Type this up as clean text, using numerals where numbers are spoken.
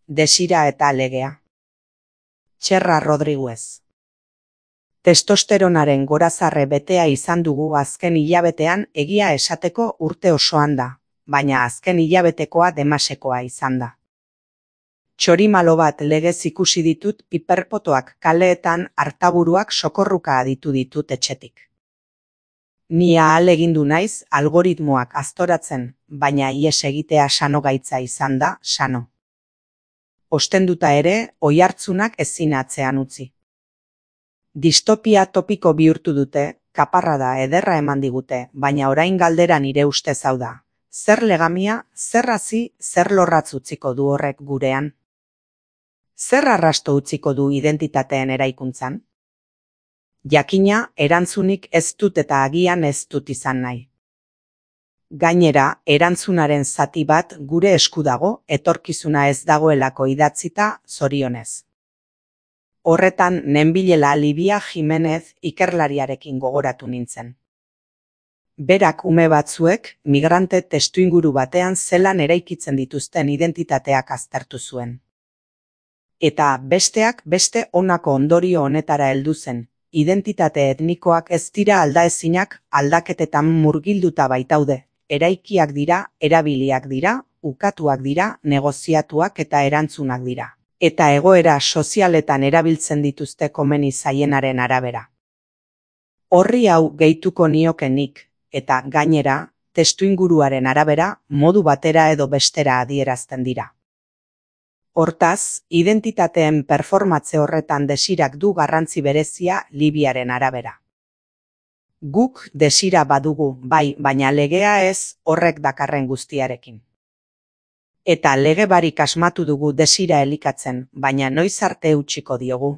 Desira eta legea. Txerra Rodriguez. Testosteronaren gorazarre betea izan dugu azken hilabetean, egia esateko urte osoan da, baina azken hilabetekoa demasekoa izan da. Txorimalo bat legez ikusi ditut piperpotoak kaleetan, artaburuak sokorruka aditu ditut etxetik. Ni ahalegindu naiz algoritmoak aztoratzen, baina ihes egitea sano gaitza izan da, sano. Ostenduta ere, oihartzunak ezin atzean utzi. Distopia topiko bihurtu dute, kaparrada ederra eman digute, baina orain galdera nire ustez hau da. Zer legamia, zer hazi, zer lorratz utziko du horrek gurean? Zer arrasto utziko du identitateen eraikuntzan? Jakina, erantzunik ez dut eta agian ez dut izan nahi. Gainera, erantzunaren zati bat gure esku dago, etorkizuna ez dagoelako idatzita, zorionez. Horretan nenbilela Livia Jimenez ikerlariarekin gogoratu nintzen. Berak ume batzuek migrante testuinguru batean zelan eraikitzen dituzten identitateak aztertu zuen. Eta besteak beste honako ondorio honetara heldu zen. Identitate etnikoak ez dira aldaezinak, aldaketetan murgilduta baitaude. Eraikiak dira, erabiliak dira, ukatuak dira, negoziatuak eta erantzunak dira. Eta egoera sozialetan erabiltzen dituzte komeni zaienaren arabera. Horri hau gehituko nioke nik, eta gainera, testuinguruaren arabera, modu batera edo bestera adierazten dira. Hortaz, identitateen performatze horretan desirak du garrantzi berezia Libiaren arabera. Guk desira badugu, bai, baina legea ez horrek dakarren guztiarekin. Eta lege barik asmatu dugu desira elikatzen, baina noiz arte utziko diogu.